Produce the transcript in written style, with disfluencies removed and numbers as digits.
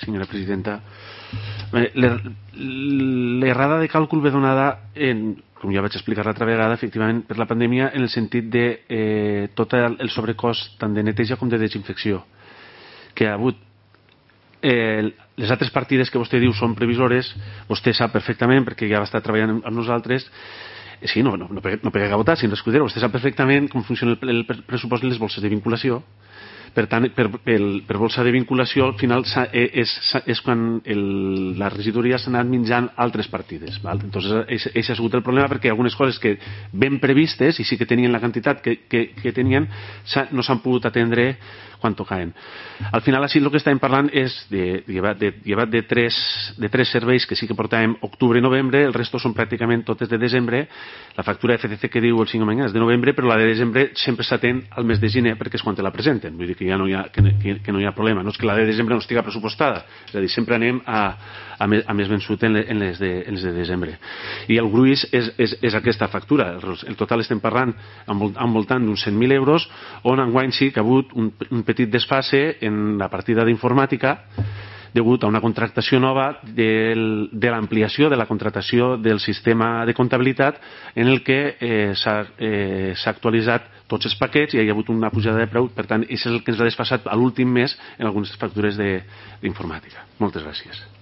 senyora presidenta. L'errada de càlcul ve donada, com ja vaig explicar l'altra vegada, efectivament per la pandèmia, en el sentit de tot el sobrecost tant de neteja com de desinfecció que ha hagut. Les altres partides que vostè diu són previsores, vostè sap perfectament, perquè ja va estar treballant amb nosaltres. Sí, no pega a votar, sin escudero. Vostè sap perfectament com funciona el pressupost en les bolses de vinculació. Per tant, per bolsa de vinculació, al final és quan la regidoria s'ha anat menjant altres partides. Entonces, això ha sigut el problema, perquè algunes coses que ben previstes, i sí que tenien la quantitat que tenien, no s'han pogut atendre quan tocaven. Al final, així el que estàvem parlant és llevat de tres serveis que sí que portàvem octubre i novembre, el resto són pràcticament totes de desembre. La factura de FCC que diu el senyor Manyà és de novembre, però la de desembre sempre s'atén al mes de gener perquè és quan te la presenten. Vull dir que ja no hi ha problema. No és que la de desembre no estigui pressupostada, és a dir, sempre anem a més vençut en les de desembre. I el gruix és aquesta factura. El total estem parlant al voltant d'uns 100.000 euros, on enguany sí que ha hagut un petit desfase en la partida d'informàtica degut a una contractació nova de l'ampliació de la contractació del sistema de comptabilitat en el que s'ha actualitzat tots els paquets i hi ha hagut una pujada de preu. Per tant, això és el que ens ha desfasat a l'últim mes en algunes factures d'informàtica. Moltes gràcies.